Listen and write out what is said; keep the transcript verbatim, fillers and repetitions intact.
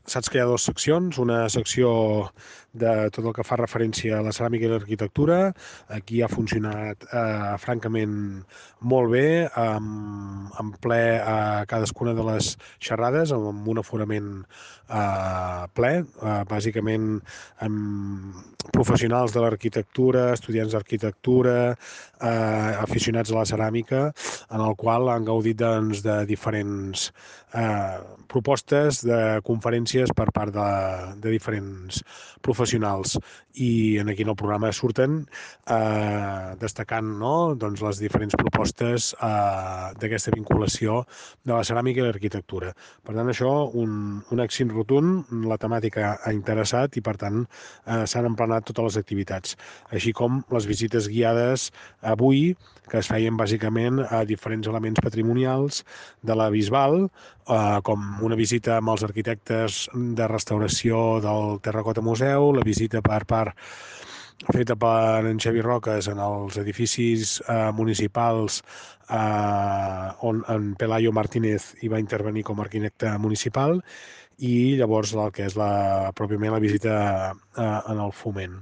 saps que hi ha dues seccions, una secció de tot el que fa referència a la ceràmica i l'arquitectura. Aquí ha funcionat eh, francament molt bé, amb, en ple a cadascuna de les xerrades, amb un aforament eh, ple, eh, bàsicament amb professionals de l'arquitectura, estudiants d'arquitectura, eh, aficionats a la ceràmica, en el qual han gaudit doncs, de diferents eh, propostes de conferències per part de, de diferents professionals, i en aquí en el programa surten eh, destacant, no? doncs, les diferents propostes eh, d'aquesta vinculació de la ceràmica i l'arquitectura. Per tant, això, un, un èxit rotund, la temàtica ha interessat i, per tant, eh, s'han emplenat totes les activitats, així com les visites guiades avui, que es feien bàsicament a diferents elements patrimonials de la Bisbal, eh, com una visita amb els arquitectes de restauració del Terracota Museu, la visita per part feta per en Xavi Roques en els edificis eh, municipals eh, on en Pelayo Martínez hi va intervenir com a arquitecte municipal, i llavors el que és la, pròpiament la visita eh, en el Foment.